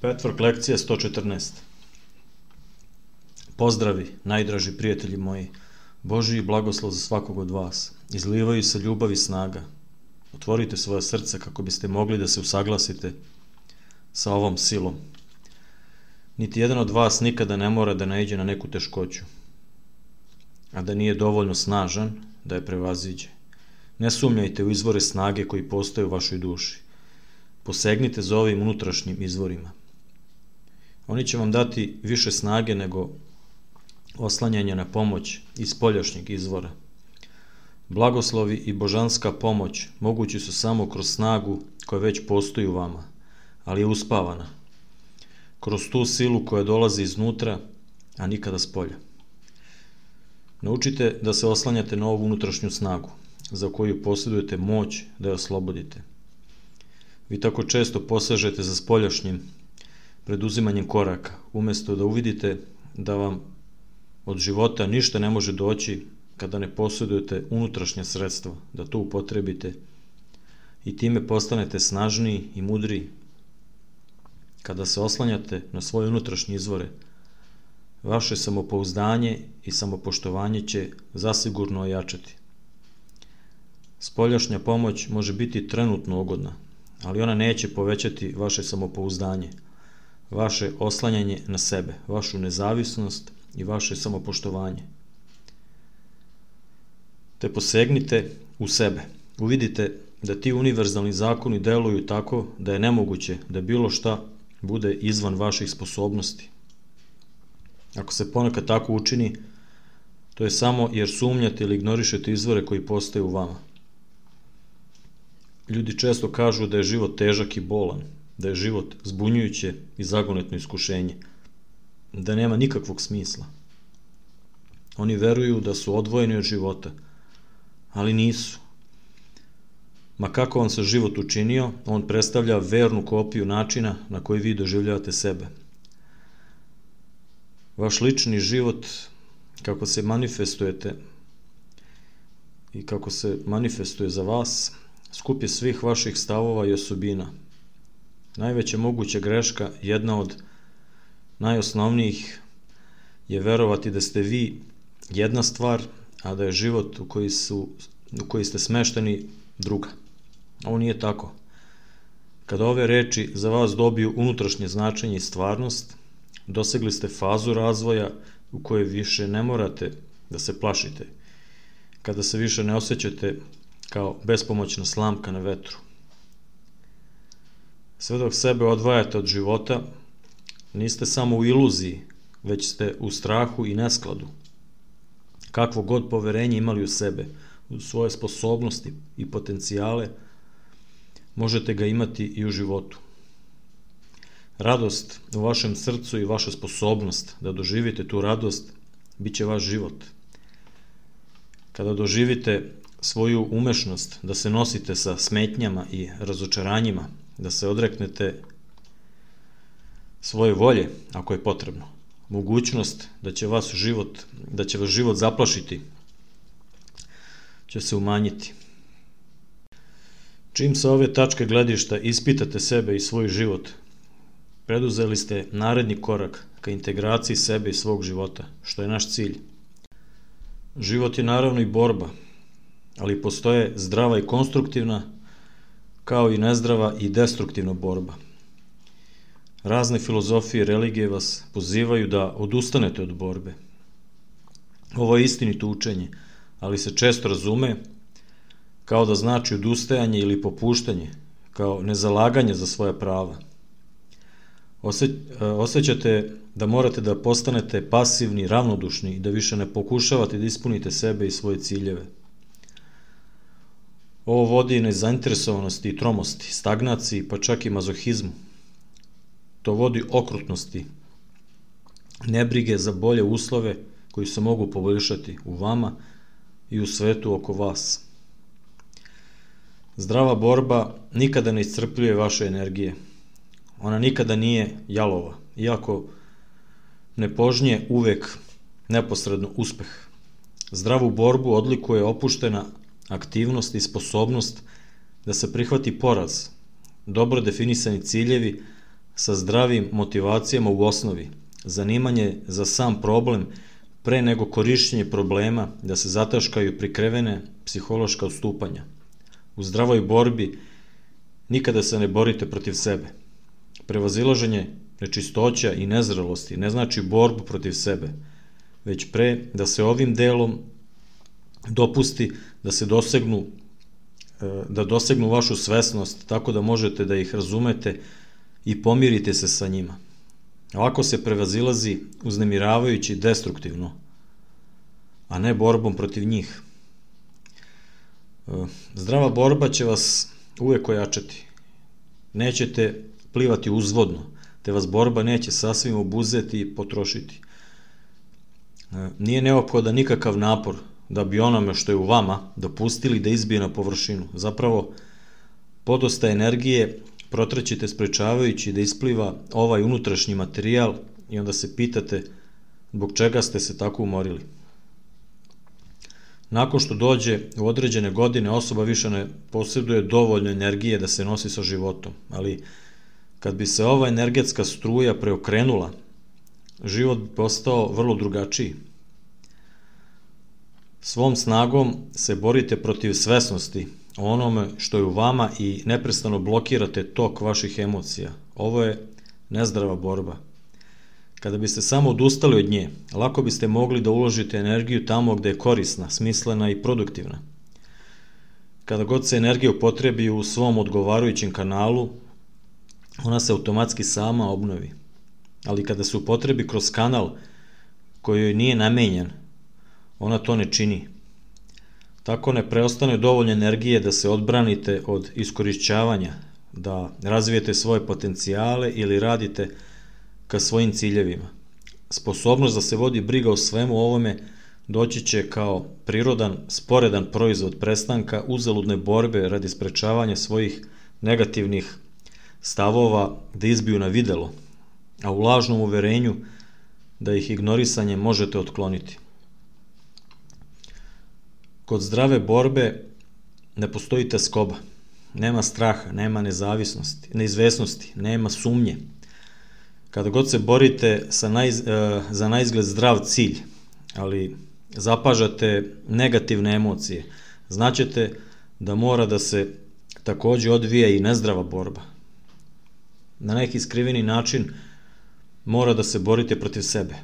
Petwork lekcija 114. Pozdravi, najdraži prijatelji moji. Božji blagoslov za svakog od vas. Izlivaju se ljubav i snaga. Otvorite svoje srce kako biste mogli da se usaglasite sa ovom silom. Niti jedan od vas nikada ne mora da naiđe na neku teškoću, a da nije dovoljno snažan da je prevaziđe. Ne sumnjajte u izvore snage koji postoje u vašoj duši. Posegnite za ovim unutrašnjim izvorima. Oni će vam dati više snage nego oslanjanje na pomoć iz spoljašnjeg izvora. Blagoslovi i božanska pomoć mogući su samo kroz snagu koja već postoji u vama, ali je uspavana. Kroz tu silu koja dolazi iznutra, a nikada s polja. Naučite da se oslanjate na ovu unutrašnju snagu, za koju posjedujete moć da je oslobodite. Vi tako često posežete za spoljašnjim preduzimanjem koraka, umjesto da uvidite da vam od života ništa ne može doći kada ne posjedujete unutrašnja sredstva, da to upotrebite i time postanete snažniji i mudriji. Kada se oslanjate na svoje unutrašnje izvore, vaše samopouzdanje i samopoštovanje će zasigurno ojačati. Spoljašnja pomoć može biti trenutno ugodna, ali ona neće povećati vaše samopouzdanje, vaše oslanjanje na sebe, vašu nezavisnost i vaše samopoštovanje. Te posegnite u sebe. Uvidite da ti univerzalni zakoni deluju tako da je nemoguće da bilo šta bude izvan vaših sposobnosti. Ako se ponekad tako učini, to je samo jer sumnjate ili ignorišete izvore koji postoje u vama. Ljudi često kažu da je život težak i bolan, da je život zbunjujuće i zagonetno iskušenje, da nema nikakvog smisla. Oni veruju da su odvojeni od života, ali nisu. Ma kako vam se život učinio, on predstavlja vernu kopiju načina na koji vi doživljavate sebe. Vaš lični život, kako se manifestujete i kako se manifestuje za vas, skup je svih vaših stavova i osobina. Najveća moguća greška, jedna od najosnovnijih, je verovati da ste vi jedna stvar, a da je život u koji ste smešteni druga. Ovo nije tako. Kada ove reči za vas dobiju unutrašnje značenje i stvarnost, dosegli ste fazu razvoja u kojoj više ne morate da se plašite, kada se više ne osjećate kao bespomoćna slamka na vetru. Sve dok sebe odvajate od života, niste samo u iluziji, već ste u strahu i neskladu. Kakvo god poverenje imali u sebe, u svoje sposobnosti i potencijale, možete ga imati i u životu. Radost u vašem srcu i vaša sposobnost da doživite tu radost bit će vaš život. Kada doživite svoju umešnost da se nosite sa smetnjama i razočaranjima, da se odreknete svoje volje, ako je potrebno, mogućnost da će vas život zaplašiti, će se umanjiti. Čim sa ove tačke gledišta ispitate sebe i svoj život, preduzeli ste naredni korak ka integraciji sebe i svog života, što je naš cilj. Život je naravno i borba, ali postoje zdrava i konstruktivna, kao i nezdrava i destruktivna borba. Razne filozofije i religije vas pozivaju da odustanete od borbe. Ovo je istinito učenje, ali se često razume kao da znači odustajanje ili popuštanje, kao nezalaganje za svoja prava. Osjećate da morate da postanete pasivni, ravnodušni i da više ne pokušavate da ispunite sebe i svoje ciljeve. Ovo vodi nezainteresovanosti i tromosti, stagnaciji, pa čak i mazohizmu. To vodi okrutnosti, nebrige za bolje uslove koji se mogu poboljšati u vama i u svetu oko vas. Zdrava borba nikada ne iscrpljuje vaše energije. Ona nikada nije jalova, iako ne požnje uvek neposredno uspeh. Zdravu borbu odlikuje opuštena aktivnost i sposobnost da se prihvati poraz, dobro definisani ciljevi, sa zdravim motivacijama u osnovi, zanimanje za sam problem pre nego korišćenje problema da se zataškaju prikrivene psihološka odstupanja. U zdravoj borbi nikada se ne borite protiv sebe. Prevazilaženje nečistoća i nezrelosti ne znači borbu protiv sebe, već pre da se ovim delom dopusti da se dosegnu vašu svesnost tako da možete da ih razumete i pomirite se sa njima. Ovako se prevazilazi uznemiravajući destruktivno, a ne borbom protiv njih. Zdrava borba će vas uvek ojačati. Nećete plivati uzvodno, te vas borba neće sasvim obuzeti i potrošiti. Nije neophodan nikakav napor da bi onome što je u vama dopustili da izbije na površinu. Zapravo, podosta energije protrećete sprečavajući da ispliva ovaj unutrašnji materijal i onda se pitate zbog čega ste se tako umorili. Nakon što dođe u određene godine, osoba više ne posjeduje dovoljno energije da se nosi sa životom, ali kad bi se ova energetska struja preokrenula, život bi postao vrlo drugačiji. Svom snagom se borite protiv svesnosti o onome što je u vama i neprestano blokirate tok vaših emocija. Ovo je nezdrava borba. Kada biste samo odustali od nje, lako biste mogli da uložite energiju tamo gde je korisna, smislena i produktivna. Kada god se energija upotrebi u svom odgovarajućem kanalu, ona se automatski sama obnovi. Ali kada se upotrebi kroz kanal koji joj nije namenjen, ona to ne čini. Tako ne preostane dovoljno energije da se odbranite od iskorišćavanja, da razvijete svoje potencijale ili radite ka svojim ciljevima. Sposobnost da se vodi briga o svemu ovome doći će kao prirodan, sporedan proizvod prestanka uzaludne borbe radi sprečavanja svojih negativnih stavova da izbiju na videlo, a u lažnom uverenju da ih ignorisanjem možete otkloniti. Kod zdrave borbe ne postoji tezkoba, nema straha, nema neizvesnosti, nema sumnje. Kada god se borite za naizgled zdrav cilj, ali zapažate negativne emocije, znaćete da mora da se takođe odvija i nezdrava borba. Na neki skriveni način mora da se borite protiv sebe,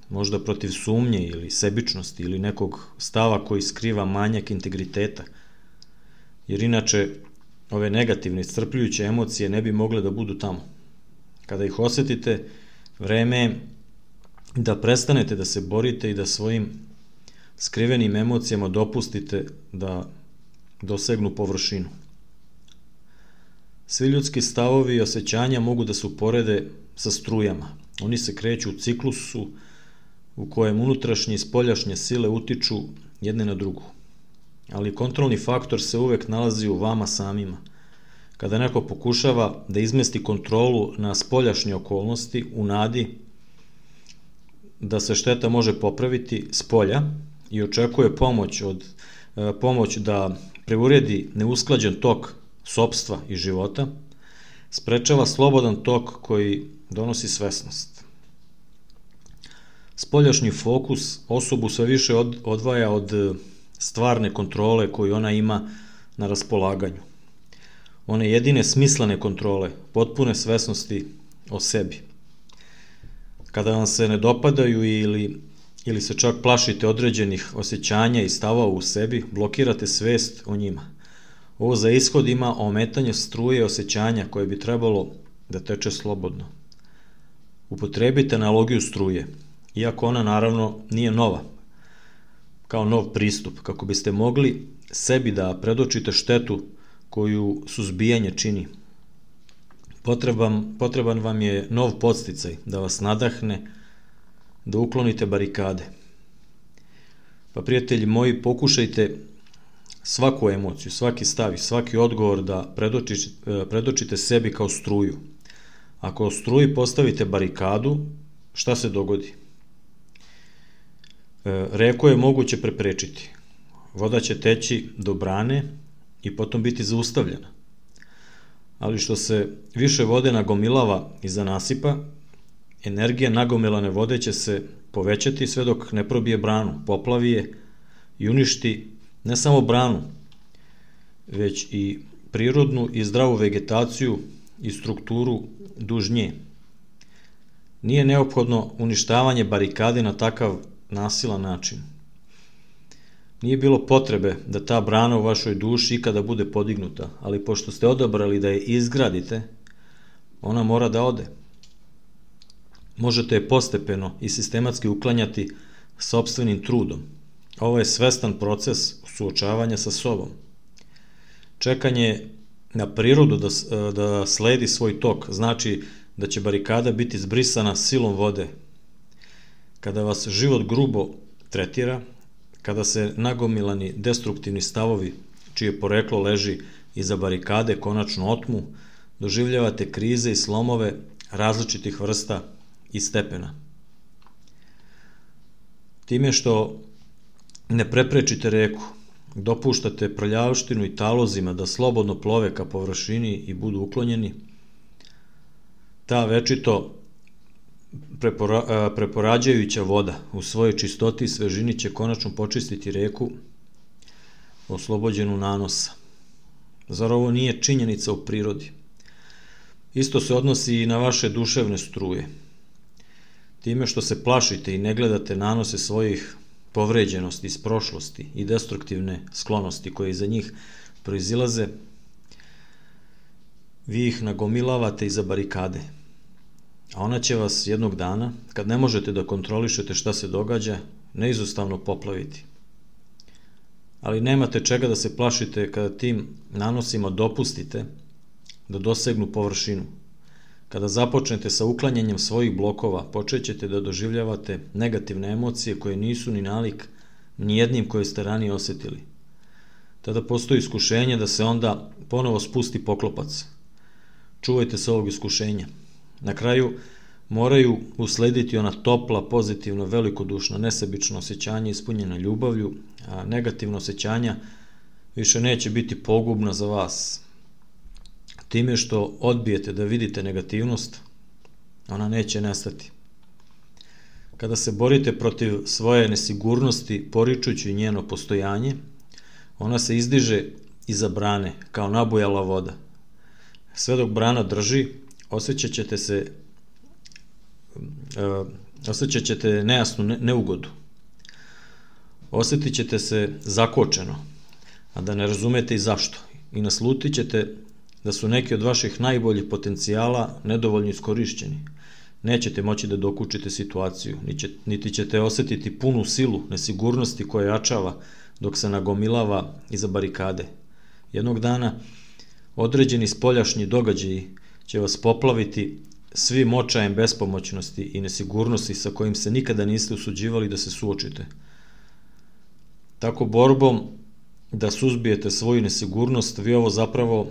možda protiv sumnje ili sebičnosti ili nekog stava koji skriva manjak integriteta, jer inače ove negativne i iscrpljujuće emocije ne bi mogle da budu tamo. Kada ih osetite, vreme je da prestanete da se borite i da svojim skrivenim emocijama dopustite da dosegnu površinu. Svi ljudski stavovi i osjećanja mogu da se uporede sa strujama. Oni se kreću u ciklusu u kojem unutrašnje i spoljašnje sile utiču jedne na drugu. Ali kontrolni faktor se uvek nalazi u vama samima. Kada neko pokušava da izmesti kontrolu na spoljašnje okolnosti u nadi da se šteta može popraviti s polja i očekuje pomoć da preuredi neusklađen tok sopstva i života, sprečava slobodan tok koji donosi svesnost. Spoljašnji fokus osobu sve više odvaja od stvarne kontrole koju ona ima na raspolaganju. One jedine smislene kontrole, potpune svesnosti o sebi. Kada vam se ne dopadaju ili se čak plašite određenih osjećanja i stavova u sebi, blokirate svest o njima. Ovo za ishod ima ometanje struje osjećanja koje bi trebalo da teče slobodno. Upotrebite analogiju struje, iako ona naravno nije nova, kao nov pristup, kako biste mogli sebi da predočite štetu koju suzbijanje čini. Potreban vam je nov podsticaj da vas nadahne, da uklonite barikade. Pa prijatelji moji, pokušajte svaku emociju, svaki stav i svaki odgovor da predočite sebi kao struju. Ako o struji postavite barikadu, šta se dogodi? Reku je moguće preprečiti. Voda će teći do brane i potom biti zaustavljena. ali što se više vode nagomilava iza nasipa, energija nagomilane vode će se povećati sve dok ne probije branu, poplavi je i uništi ne samo branu, već i prirodnu i zdravu vegetaciju i strukturu duž nje. Nije neophodno uništavanje barikade na takav nasilan način. Nije bilo potrebe da ta brana u vašoj duši ikada bude podignuta, ali pošto ste odabrali da je izgradite, ona mora da ode. Možete je postepeno i sistematski uklanjati sopstvenim trudom. Ovo je svestan proces suočavanja sa sobom. Čekanje na prirodu da sledi svoj tok znači da će barikada biti zbrisana silom vode. Kada vas život grubo tretira, kada se nagomilani destruktivni stavovi, čije poreklo leži iza barikade, konačno otmu, doživljavate krize i slomove različitih vrsta i stepena. Time što ne preprečite reku, dopuštate prljavštinu i talozima da slobodno plove ka površini i budu uklonjeni, ta večito preporađajuća voda u svojoj čistoti i svežini će konačno počistiti reku oslobođenu nanosa. Zar ovo nije činjenica u prirodi? Isto se odnosi i na vaše duševne struje. Time što se plašite i ne gledate nanose svojih povređenosti iz prošlosti i destruktivne sklonosti koje iza njih proizilaze, vi ih nagomilavate iza barikade. A ona će vas jednog dana, kad ne možete da kontrolišete šta se događa, neizostavno poplaviti. Ali nemate čega da se plašite kada tim nanosima dopustite da dosegnu površinu. Kada započnete sa uklanjanjem svojih blokova, počećete da doživljavate negativne emocije koje nisu ni nalik ni jednim koje ste ranije osetili. Tada postoji iskušenje da se onda ponovo spusti poklopac. Čuvajte se ovog iskušenja. Na kraju moraju uslediti ona topla, pozitivna, velikodušna, nesebična osjećanja ispunjena ljubavlju, a negativna osjećanja više neće biti pogubna za vas. Time što odbijete da vidite negativnost, ona neće nestati. Kada se borite protiv svoje nesigurnosti, poričući njeno postojanje, ona se izdiže iza brane, kao nabujala voda. Sve dok brana drži, osjećat ćete nejasnu neugodu. Osjetit ćete se zakočeno, a da ne razumete i zašto. I naslutit ćete da su neki od vaših najboljih potencijala nedovoljno iskorišćeni. Nećete moći da dokučite situaciju, niti ćete osjetiti punu silu nesigurnosti koja jačava dok se nagomilava iza barikade. Jednog dana određeni spoljašnji događaji će vas poplaviti svim očajem bespomoćnosti i nesigurnosti sa kojim se nikada niste usuđivali da se suočite. Tako borbom da suzbijete svoju nesigurnost, vi ovo zapravo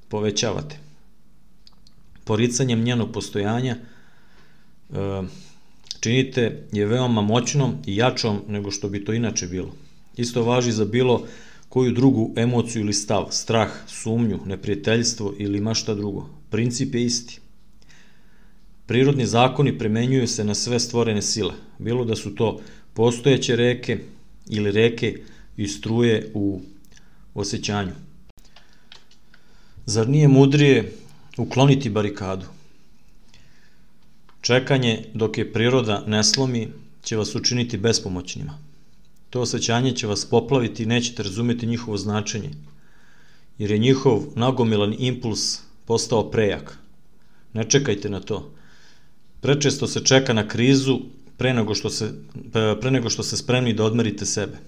povećavate. Poricanjem njenog postojanja činite je veoma moćnom i jačom nego što bi to inače bilo. Isto važi za bilo koju drugu emociju ili stav, strah, sumnju, neprijateljstvo ili ma šta drugo. Princip je isti. Prirodni zakoni primenjuju se na sve stvorene sile, bilo da su to postojeće reke ili reke i struje u osjećanju. Zar nije mudrije ukloniti barikadu? Čekanje dok je priroda ne slomi će vas učiniti bespomoćnima. To osjećanje će vas poplaviti i nećete razumeti njihovo značenje, jer je njihov nagomilan impuls postao prejak. Ne čekajte na to. Prečesto se čeka na krizu pre nego što ste spremni da odmerite sebe.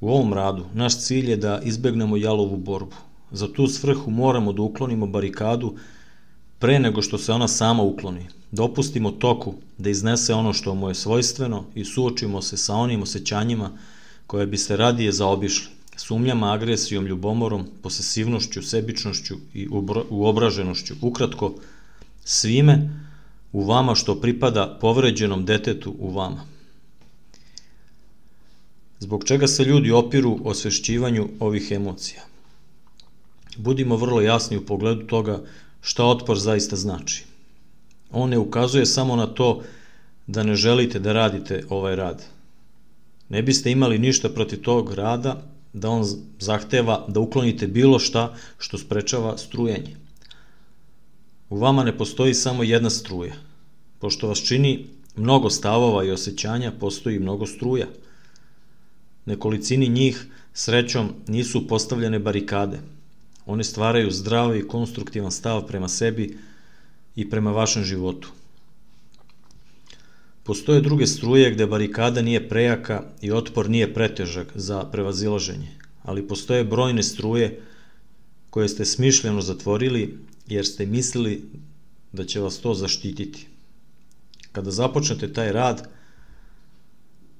U ovom radu naš cilj je da izbegnemo jalovu borbu. Za tu svrhu moramo da uklonimo barikadu pre nego što se ona sama ukloni. Dopustimo toku da iznese ono što mu je svojstveno i suočimo se sa onim osjećanjima koje biste radije zaobišli. Sumnjama, agresijom, ljubomorom, posesivnošću, sebičnošću i uobraženošću. Ukratko, svime u vama što pripada povređenom detetu u vama. Zbog čega se ljudi opiru osvešćivanju ovih emocija? Budimo vrlo jasni u pogledu toga šta otpor zaista znači. On ne ukazuje samo na to da ne želite da radite ovaj rad. Ne biste imali ništa protiv tog rada da on zahteva da uklonite bilo šta što sprečava strujanje. U vama ne postoji samo jedna struja. Pošto vas čini mnogo stavova i osjećanja, postoji mnogo struja. Nekolicini njih, srećom, nisu postavljene barikade. One stvaraju zdrav i konstruktivan stav prema sebi i prema vašem životu. Postoje druge struje gde barikada nije prejaka i otpor nije pretežak za prevazilaženje, ali postoje brojne struje koje ste smišljeno zatvorili jer ste mislili da će vas to zaštititi. Kada započnete taj rad,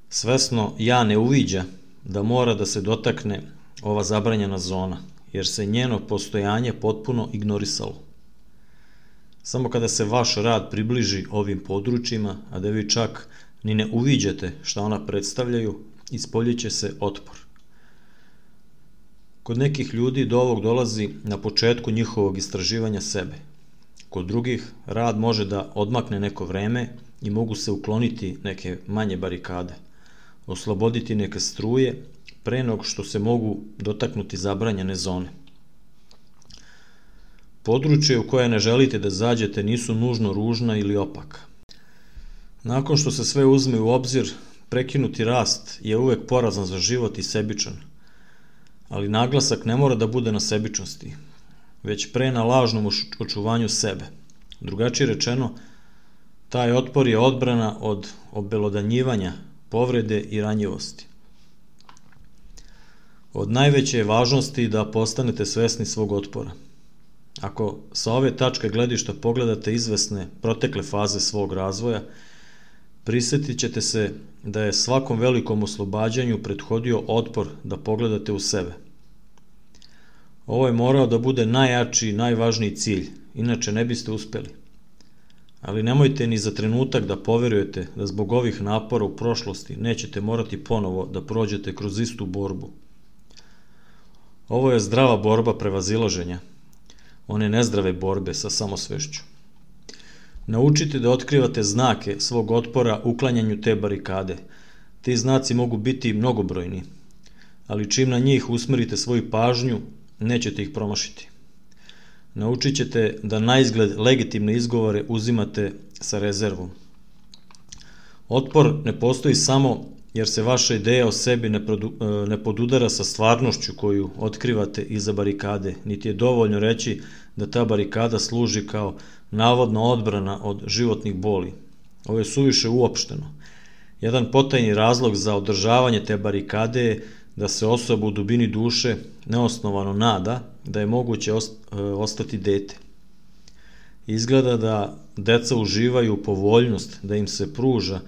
svesno ja ne uviđa da mora da se dotakne ova zabranjena zona, jer se njeno postojanje potpuno ignorisalo. Samo kada se vaš rad približi ovim područjima, a da vi čak ni ne uviđate šta ona predstavljaju, ispoljiće se otpor. Kod nekih ljudi do ovog dolazi na početku njihovog istraživanja sebe. Kod drugih rad može da odmakne neko vreme i mogu se ukloniti neke manje barikade, osloboditi neke struje pre nego što se mogu dotaknuti zabranjene zone. Područje u koje ne želite da zađete nisu nužno ružna ili opaka. Nakon što se sve uzme u obzir, prekinuti rast je uvek porazan za život i sebičan, ali naglasak ne mora da bude na sebičnosti, već pre na lažnom očuvanju sebe. Drugačije rečeno, taj otpor je odbrana od obelodanjivanja, povrede i ranjivosti. Od najveće je važnosti da postanete svesni svog otpora. Ako sa ove tačke gledišta pogledate izvesne protekle faze svog razvoja, prisetit ćete se da je svakom velikom oslobađanju prethodio otpor da pogledate u sebe. Ovo je morao da bude najjači i najvažniji cilj, inače ne biste uspeli. Ali nemojte ni za trenutak da poverujete da zbog ovih napora u prošlosti nećete morati ponovo da prođete kroz istu borbu. Ovo je zdrava borba prevazilaženja, one nezdrave borbe sa samosvešću. Naučite da otkrivate znake svog otpora uklanjanju te barikade. Ti znaci mogu biti mnogobrojni, ali čim na njih usmerite svoju pažnju, nećete ih promašiti. Naučit ćete da naizgled legitimne izgovore uzimate sa rezervom. Otpor ne postoji samo jer se vaša ideja o sebi ne podudara sa stvarnošću koju otkrivate iza barikade, niti je dovoljno reći da ta barikada služi kao navodna odbrana od životnih boli. Ovo je suviše uopšteno. Jedan potajni razlog za održavanje te barikade je da se osoba u dubini duše neosnovano nada da je moguće ostati dete. Izgleda da deca uživaju povoljnost da im se pruža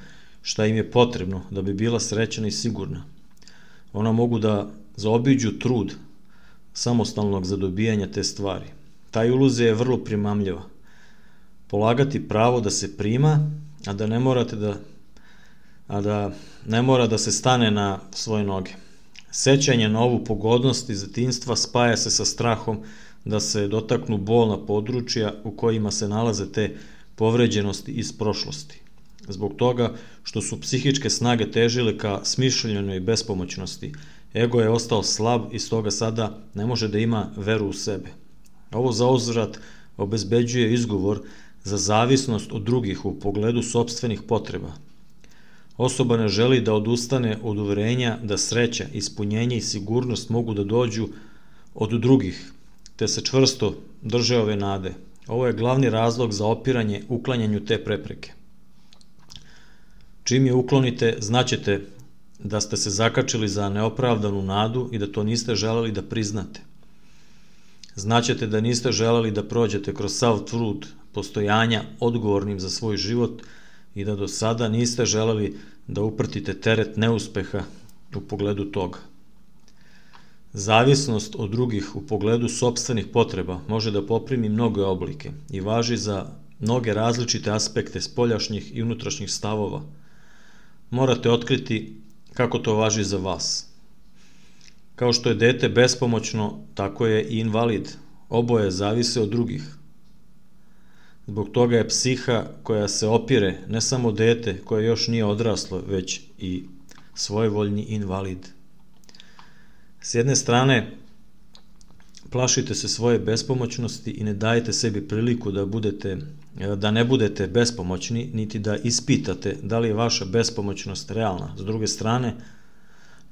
šta im je potrebno da bi bila srećna i sigurna. Ona mogu da zaobiđu trud samostalnog zadobijanja te stvari. Ta iluzija je vrlo primamljiva. Polagati pravo da se prima, a da ne mora da se stane na svoje noge. Sećanje na ovu pogodnost iz detinjstva spaja se sa strahom da se dotaknu bolna područja u kojima se nalaze te povređenosti iz prošlosti. Zbog toga što su psihičke snage težile ka smišljenoj bespomoćnosti, ego je ostao slab i stoga sada ne može da ima veru u sebe. Ovo zauzvrat obezbeđuje izgovor za zavisnost od drugih u pogledu sopstvenih potreba. Osoba ne želi da odustane od uverenja da sreća, ispunjenje i sigurnost mogu da dođu od drugih, te se čvrsto drže ove nade. Ovo je glavni razlog za opiranje uklanjanju te prepreke. Čim je uklonite, znaćete da ste se zakačili za neopravdanu nadu i da to niste želeli da priznate. Znaćete da niste želeli da prođete kroz sav trud postojanja odgovornim za svoj život i da do sada niste želeli da uprtite teret neuspeha u pogledu toga. Zavisnost od drugih u pogledu sopstvenih potreba može da poprimi mnoge oblike i važi za mnoge različite aspekte spoljašnjih i unutrašnjih stavova. Morate otkriti kako to važi za vas. Kao što je dete bespomoćno, tako je i invalid. Oboje zavise od drugih. Zbog toga je psiha koja se opire ne samo dete koje još nije odraslo, već i svojevoljni invalid. S jedne strane, plašite se svoje bespomoćnosti i ne dajete sebi priliku da ne budete bespomoćni, niti da ispitate da li je vaša bespomoćnost realna. S druge strane,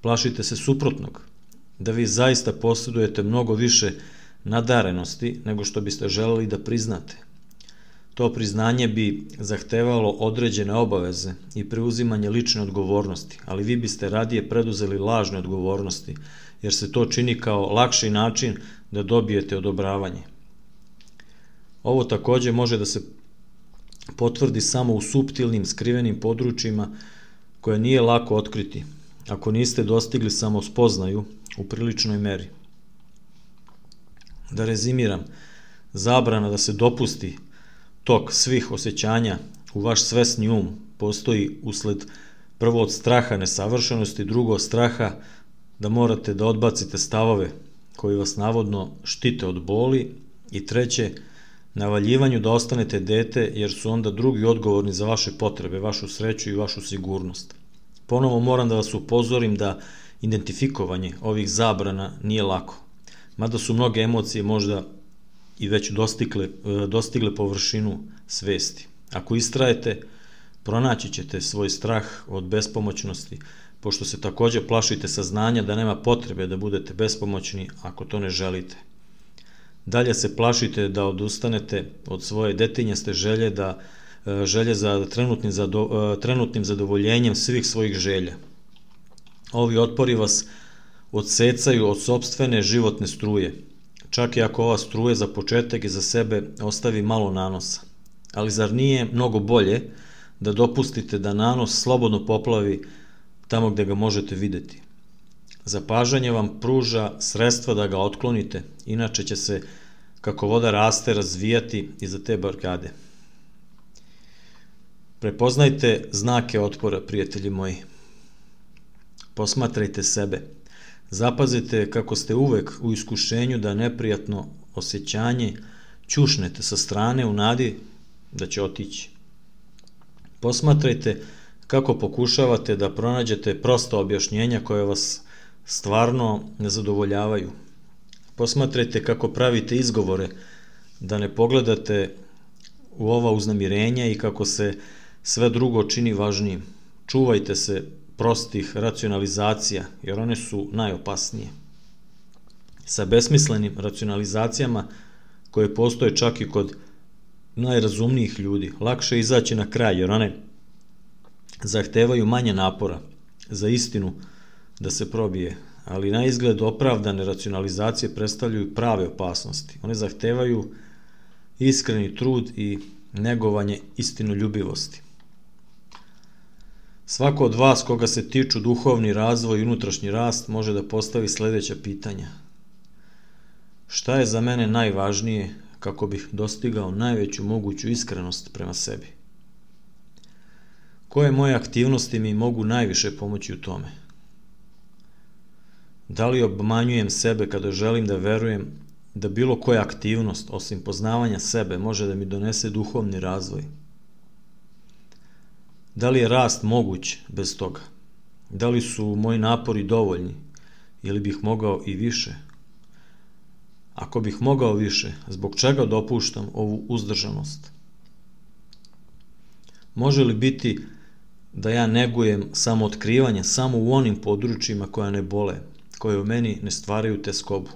plašite se suprotnog, da vi zaista posjedujete mnogo više nadarenosti nego što biste želeli da priznate. To priznanje bi zahtevalo određene obaveze i preuzimanje lične odgovornosti, ali vi biste radije preduzeli lažne odgovornosti, jer se to čini kao lakši način da dobijete odobravanje. Ovo takođe može da se potvrdi samo u suptilnim, skrivenim područjima koje nije lako otkriti, ako niste dostigli samospoznaju u priličnoj meri. Da rezimiram, zabrana da se dopusti tok svih osjećanja u vaš svesni um postoji usled prvo od straha nesavršenosti, drugo od straha da morate da odbacite stavove koji vas navodno štite od boli i treće, navaljivanju da ostanete dete jer su onda drugi odgovorni za vaše potrebe, vašu sreću i vašu sigurnost. Ponovo moram da vas upozorim da identifikovanje ovih zabrana nije lako, mada su mnoge emocije možda i već dostigle površinu svesti. Ako istrajete, pronaći ćete svoj strah od bespomoćnosti, pošto se takođe plašite saznanja da nema potrebe da budete bespomoćni ako to ne želite. Dalje se plašite da odustanete od svoje detinjaste želje za trenutnim zadovoljenjem svih svojih želja. Ovi otpori vas odsecaju od sopstvene životne struje, čak i ako ova struje za početak i za sebe ostavi malo nanosa. Ali zar nije mnogo bolje da dopustite da nanos slobodno poplavi tamo gde ga možete videti? Zapažanje vam pruža sredstva da ga otklonite, inače će se, kako voda raste, razvijati iza te barikade. Prepoznajte znake otpora, prijatelji moji. Posmatrajte sebe. Zapazite kako ste uvek u iskušenju da neprijatno osjećanje ćušnete sa strane u nadi da će otići. Posmatrajte kako pokušavate da pronađete prosta objašnjenja koje vas stvarno ne zadovoljavaju. Posmatrajte kako pravite izgovore da ne pogledate u ova uznamirenja i kako se sve drugo čini važnijim. Čuvajte se prostih racionalizacija, jer one su najopasnije. Sa besmislenim racionalizacijama koje postoje čak i kod najrazumnijih ljudi, lakše izaći na kraj, jer one zahtevaju manje napora za istinu da se probije, ali na izgled opravdane racionalizacije predstavljaju prave opasnosti. One zahtevaju iskreni trud i negovanje istinoljubivosti. Svako od vas koga se tiču duhovni razvoj i unutrašnji rast može da postavi sledeća pitanja. Šta je za mene najvažnije kako bih dostigao najveću moguću iskrenost prema sebi? Koje moje aktivnosti mi mogu najviše pomoći u tome? Da li obmanjujem sebe kada želim da verujem da bilo koja aktivnost, osim poznavanja sebe, može da mi donese duhovni razvoj? Da li je rast moguć bez toga? Da li su moji napori dovoljni ili bih mogao i više? Ako bih mogao više, zbog čega dopuštam ovu uzdržanost? Može li biti da ja negujem samootkrivanje samo u onim područjima koja ne bole, koje u meni ne stvaraju teskobu?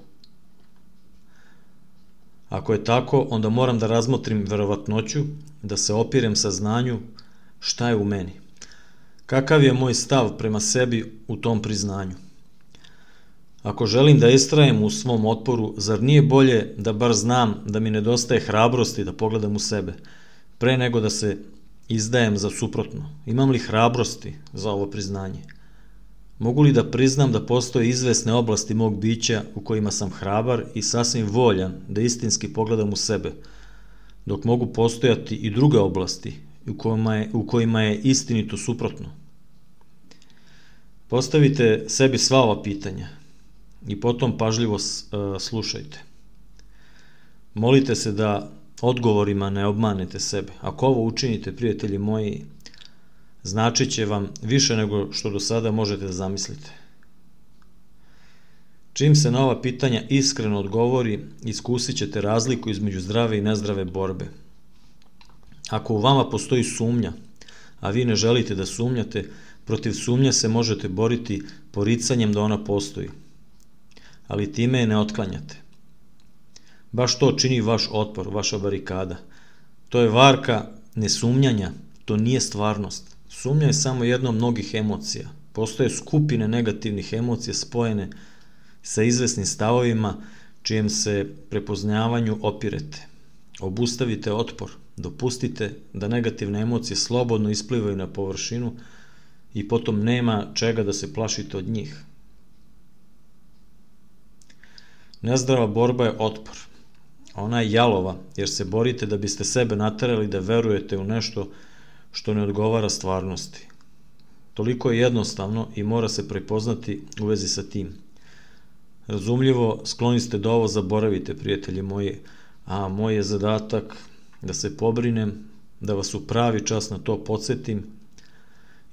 Ako je tako, onda moram da razmotrim verovatnoću, da se opirem saznanju šta je u meni. Kakav je moj stav prema sebi u tom priznanju? Ako želim da istrajem u svom otporu, zar nije bolje da bar znam da mi nedostaje hrabrosti da pogledam u sebe, pre nego da se izdajem za suprotno? Imam li hrabrosti za ovo priznanje? Mogu li da priznam da postoje izvesne oblasti mog bića u kojima sam hrabar i sasvim voljan da istinski pogledam u sebe, dok mogu postojati i druge oblasti u kojima je istinito suprotno? Postavite sebi sva ova pitanja. i potom pažljivo slušajte. Molite se da odgovorima ne obmanete sebe. Ako ovo učinite, prijatelji moji, značit će vam više nego što do sada možete da zamislite. Čim se na ova pitanja iskreno odgovori, iskusit ćete razliku između zdrave i nezdrave borbe. Ako u vama postoji sumnja, a vi ne želite da sumnjate, protiv sumnje se možete boriti poricanjem da ona postoji, ali time je ne otklanjate. Baš to čini vaš otpor, vaša barikada. To je varka nesumnjanja, to nije stvarnost. Sumnja je samo jedna od mnogih emocija. Postoje skupine negativnih emocija spojene sa izvesnim stavovima čijem se prepoznavanju opirete. Obustavite otpor, dopustite da negativne emocije slobodno isplivaju na površinu i potom nema čega da se plašite od njih. Nezdrava borba je otpor. Ona je jalova jer se borite da biste sebe naterali da verujete u nešto što ne odgovara stvarnosti. Toliko je jednostavno i mora se prepoznati u vezi sa tim. Razumljivo, skloni ste da ovo zaboravite, prijatelji moji, a moj je zadatak da se pobrinem, da vas u pravi čas na to podsjetim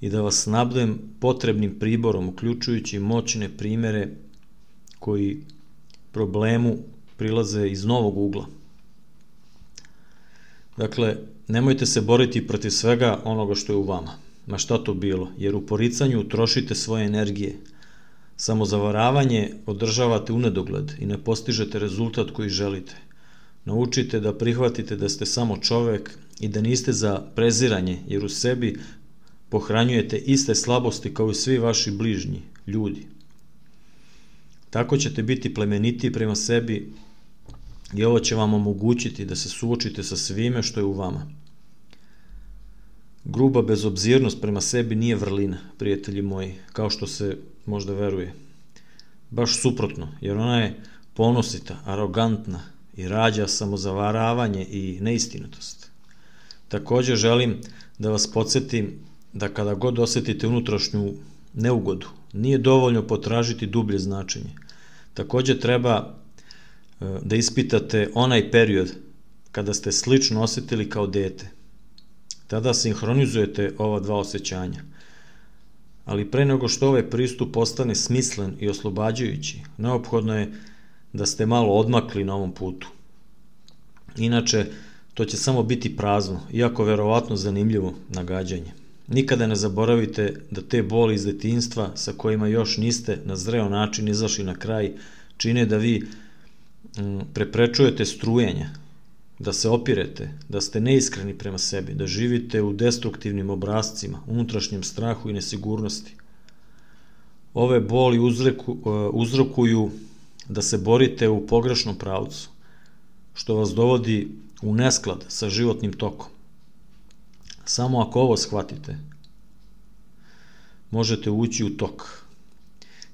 i da vas snabdem potrebnim priborom, uključujući moćne primere koji problemu prilaze iz novog ugla. Dakle, nemojte se boriti protiv svega onoga što je u vama, ma šta to bilo, jer u poricanju trošite svoje energije. Samozavaravanje održavate u nedogled i ne postižete rezultat koji želite. Naučite da prihvatite da ste samo čovek i da niste za preziranje, jer u sebi pohranjujete iste slabosti kao i svi vaši bližnji, ljudi. Tako ćete biti plemenitiji prema sebi i ovo će vam omogućiti da se suočite sa svime što je u vama. Gruba bezobzirnost prema sebi nije vrlina, prijatelji moji, kao što se možda veruje. Baš suprotno, jer ona je ponosita, arogantna i rađa samozavaravanje i neistinitost. Također želim da vas podsjetim da kada god osjetite unutrašnju neugodu, nije dovoljno potražiti dublje značenje. Također treba da ispitate onaj period kada ste slično osjetili kao dete. Tada sinhronizujete ova dva osjećanja. Ali pre nego što ovaj pristup postane smislen i oslobađajući, neophodno je da ste malo odmakli na ovom putu. Inače, to će samo biti prazno, iako verovatno zanimljivo nagađanje. Nikada ne zaboravite da te boli iz detinjstva sa kojima još niste na zreo način izašli na kraj čine da vi preprečujete strujenja, da se opirete, da ste neiskreni prema sebi, da živite u destruktivnim obrascima, unutrašnjem strahu i nesigurnosti. Ove boli uzrokuju da se borite u pogrešnom pravcu, što vas dovodi u nesklad sa životnim tokom. Samo ako ovo shvatite, možete ući u tok,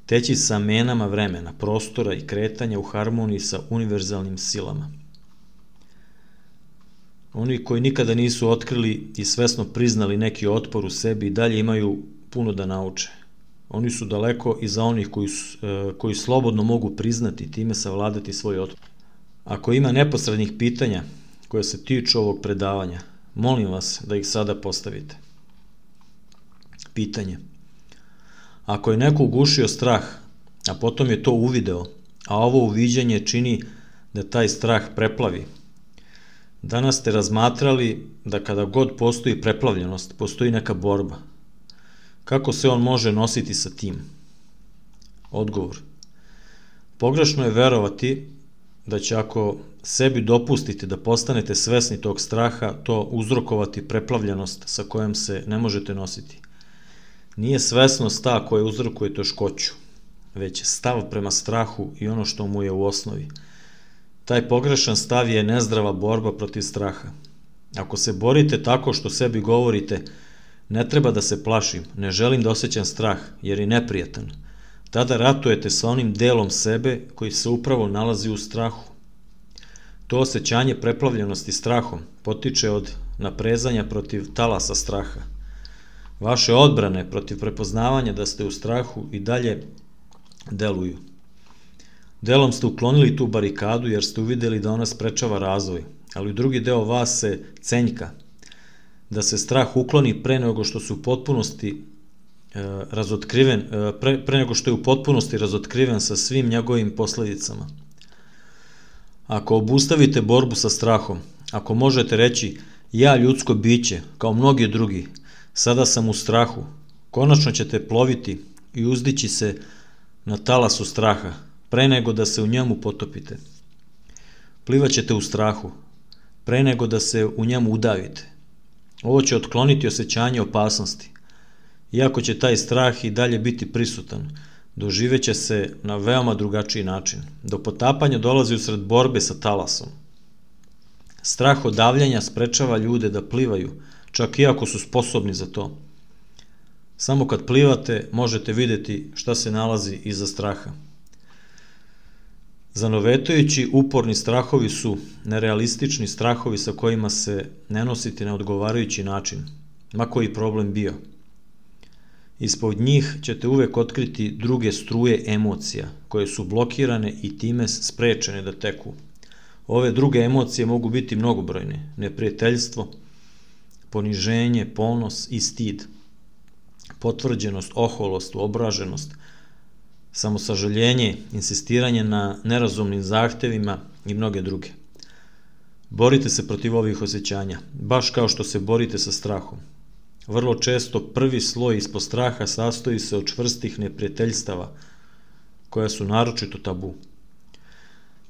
teći sa menama vremena, prostora i kretanja u harmoniji sa univerzalnim silama. Oni koji nikada nisu otkrili i svesno priznali neki otpor u sebi i dalje imaju puno da nauče. Oni su daleko iza onih koji slobodno mogu priznati i time savladati svoj otpor. Ako ima neposrednih pitanja koje se tiču ovog predavanja, molim vas da ih sada postavite. Pitanje. Ako je neko ugušio strah, a potom je to uvideo, a ovo uviđanje čini da taj strah preplavi, danas ste razmatrali da kada god postoji preplavljenost, postoji neka borba. Kako se on može nositi sa tim? Odgovor. Pogrešno je verovati da će ako sebi dopustite da postanete svesni tog straha, to uzrokovati preplavljenost sa kojom se ne možete nositi. Nije svesnost ta koja uzrokuje teškoću, već stav prema strahu i ono što mu je u osnovi. Taj pogrešan stav je nezdrava borba protiv straha. Ako se borite tako što sebi govorite ne treba da se plašim, ne želim da osjećam strah jer je neprijatan, tada ratujete sa onim delom sebe koji se upravo nalazi u strahu. To osjećanje preplavljenosti strahom potiče od naprezanja protiv talasa straha. Vaše odbrane protiv prepoznavanja da ste u strahu i dalje deluju. Delom ste uklonili tu barikadu jer ste uvideli da ona sprečava razvoj, ali drugi deo vas se cenjka, da se strah ukloni pre nego što su u potpunosti pre nego što je u potpunosti razotkriven sa svim njegovim posledicama. Ako obustavite borbu sa strahom, ako možete reći ja ljudsko biće, kao mnogi drugi, sada sam u strahu, konačno ćete ploviti i uzdići se na talasu straha, pre nego da se u njemu potopite. Plivaćete u strahu, pre nego da se u njemu udavite. Ovo će otkloniti osjećanje opasnosti. Iako će taj strah i dalje biti prisutan, doživeće se na veoma drugačiji način. Do potapanja dolazi usred borbe sa talasom. Strah od davljanja sprečava ljude da plivaju, čak i ako su sposobni za to. Samo kad plivate možete videti šta se nalazi iza straha. Zanovetajući uporni strahovi su nerealistični strahovi sa kojima se ne nositi na odgovarajući način, ma koji problem bio. Ispod njih ćete uvek otkriti druge struje emocija, koje su blokirane i time sprečene da teku. Ove druge emocije mogu biti mnogobrojne: neprijateljstvo, poniženje, ponos i stid, potvrđenost, oholost, obraženost, samosažaljenje, insistiranje na nerazumnim zahtevima i mnoge druge. Borite se protiv ovih osjećanja, baš kao što se borite sa strahom. Vrlo često prvi sloj ispod straha sastoji se od čvrstih neprijateljstava, koja su naročito tabu.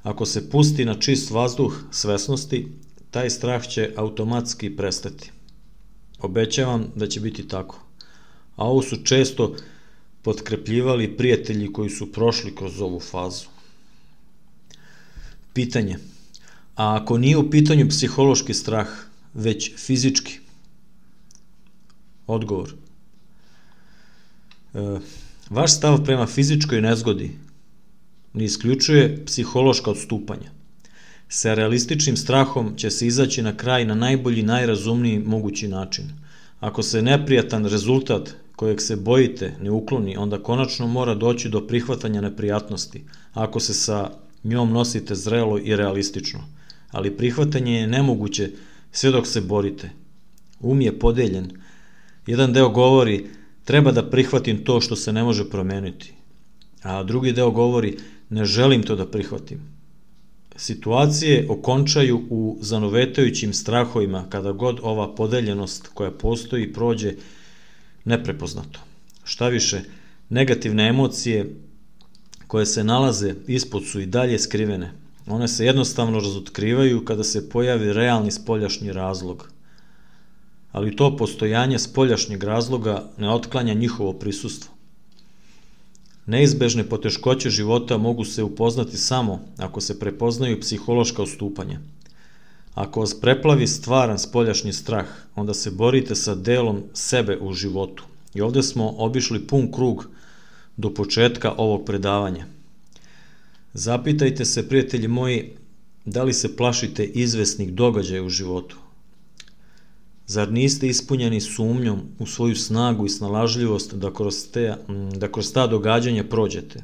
Ako se pusti na čist vazduh svesnosti, taj strah će automatski prestati. Obećavam da će biti tako. A ovo su često potkrepljivali prijatelji koji su prošli kroz ovu fazu. Pitanje: a ako nije u pitanju psihološki strah, već fizički? Odgovor: vaš stav prema fizičkoj nezgodi ne isključuje psihološka odstupanja. Sa realističnim strahom će se izaći na kraj na najbolji, najrazumniji mogući način. Ako se neprijatan rezultat kojeg se bojite ne ukloni, onda konačno mora doći do prihvatanja neprijatnosti, ako se sa njom nosite zrelo i realistično. Ali prihvatanje je nemoguće sve dok se borite. Um je podeljen. Jedan deo govori treba da prihvatim to što se ne može promeniti, a drugi deo govori ne želim to da prihvatim. Situacije okončaju u zanovetajućim strahovima kada god ova podeljenost koja postoji prođe neprepoznato. Šta više, negativne emocije koje se nalaze ispod su i dalje skrivene. One se jednostavno razotkrivaju kada se pojavi realni spoljašnji razlog. Ali to postojanje spoljašnjeg razloga ne otklanja njihovo prisustvo. Neizbežne poteškoće života mogu se upoznati samo ako se prepoznaju psihološka odstupanja. Ako vas preplavi stvaran spoljašnji strah, onda se borite sa delom sebe u životu. I ovde smo obišli pun krug do početka ovog predavanja. Zapitajte se, prijatelji moji, da li se plašite izvesnih događaja u životu? Zar niste ispunjeni sumnjom u svoju snagu i snalažljivost da kroz ta događanja prođete?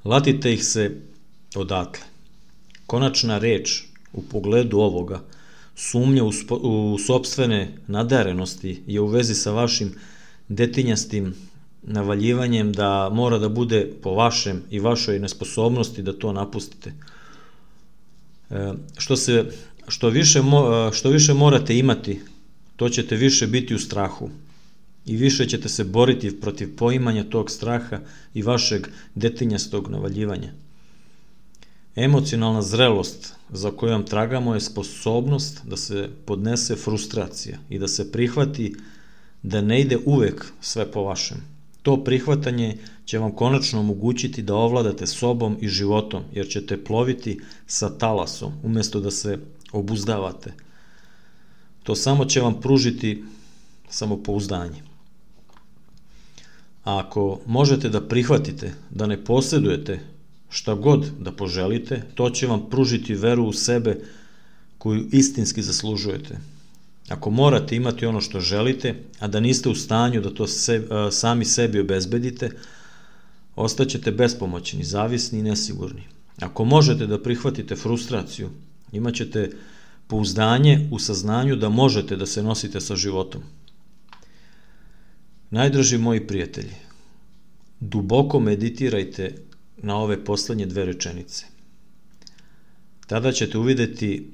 Latite ih se odatle. Konačna reč u pogledu ovoga, sumnja u sopstvene nadarenosti je u vezi sa vašim detinjastim navaljivanjem da mora da bude po vašem i vašoj nesposobnosti da to napustite. Što više morate imati, to ćete više biti u strahu i više ćete se boriti protiv poimanja tog straha i vašeg detinjastog navaljivanja. Emocionalna zrelost za kojom tragamo je sposobnost da se podnese frustracija i da se prihvati da ne ide uvek sve po vašem. To prihvatanje će vam konačno omogućiti da ovladate sobom i životom, jer ćete ploviti sa talasom umesto da se obuzdavate. To samo će vam pružiti samopouzdanje. A ako možete da prihvatite da ne posjedujete šta god da poželite, to će vam pružiti veru u sebe koju istinski zaslužujete. Ako morate imati ono što želite, a da niste u stanju da to sami sebi obezbedite, Ostaćete bespomoćni, zavisni i nesigurni. Ako možete da prihvatite frustraciju, imat ćete pouzdanje u saznanju da možete da se nosite sa životom. Najdraži moji prijatelji, duboko meditirajte na ove poslednje 2 rečenice. Tada ćete uvideti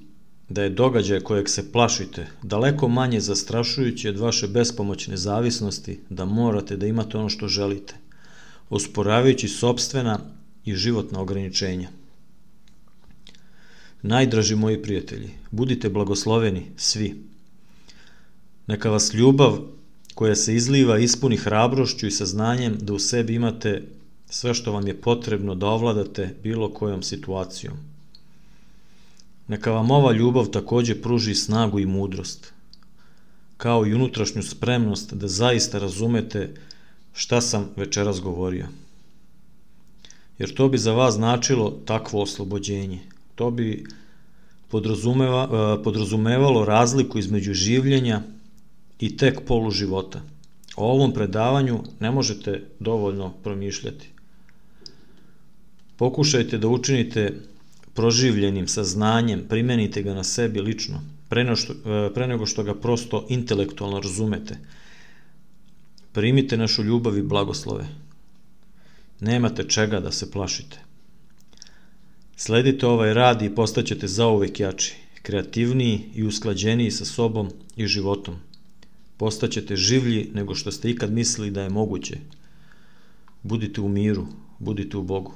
da je događaj kojeg se plašite daleko manje zastrašujući od vaše bespomoćne zavisnosti da morate da imate ono što želite, osporavajući sopstvena i životna ograničenja. Najdraži moji prijatelji, budite blagosloveni svi. Neka vas ljubav koja se izliva ispuni hrabrošću i saznanjem da u sebi imate sve što vam je potrebno da ovladate bilo kojom situacijom. Neka vam ova ljubav takođe pruži snagu i mudrost, kao i unutrašnju spremnost da zaista razumete šta sam večeras govorio. Jer to bi za vas značilo takvo oslobođenje. To bi podrazumevalo razliku između življenja i tek polu života. O ovom predavanju ne možete dovoljno promišljati. Pokušajte da učinite proživljenim saznanjem, primenite ga na sebi lično, pre nego što ga prosto intelektualno razumete. Primite našu ljubav i blagoslove. Nemate čega da se plašite. Sledite ovaj rad i postaćete zauvek jači, kreativniji i usklađeniji sa sobom i životom. Postaćete življi nego što ste ikad mislili da je moguće. Budite u miru, budite u Bogu.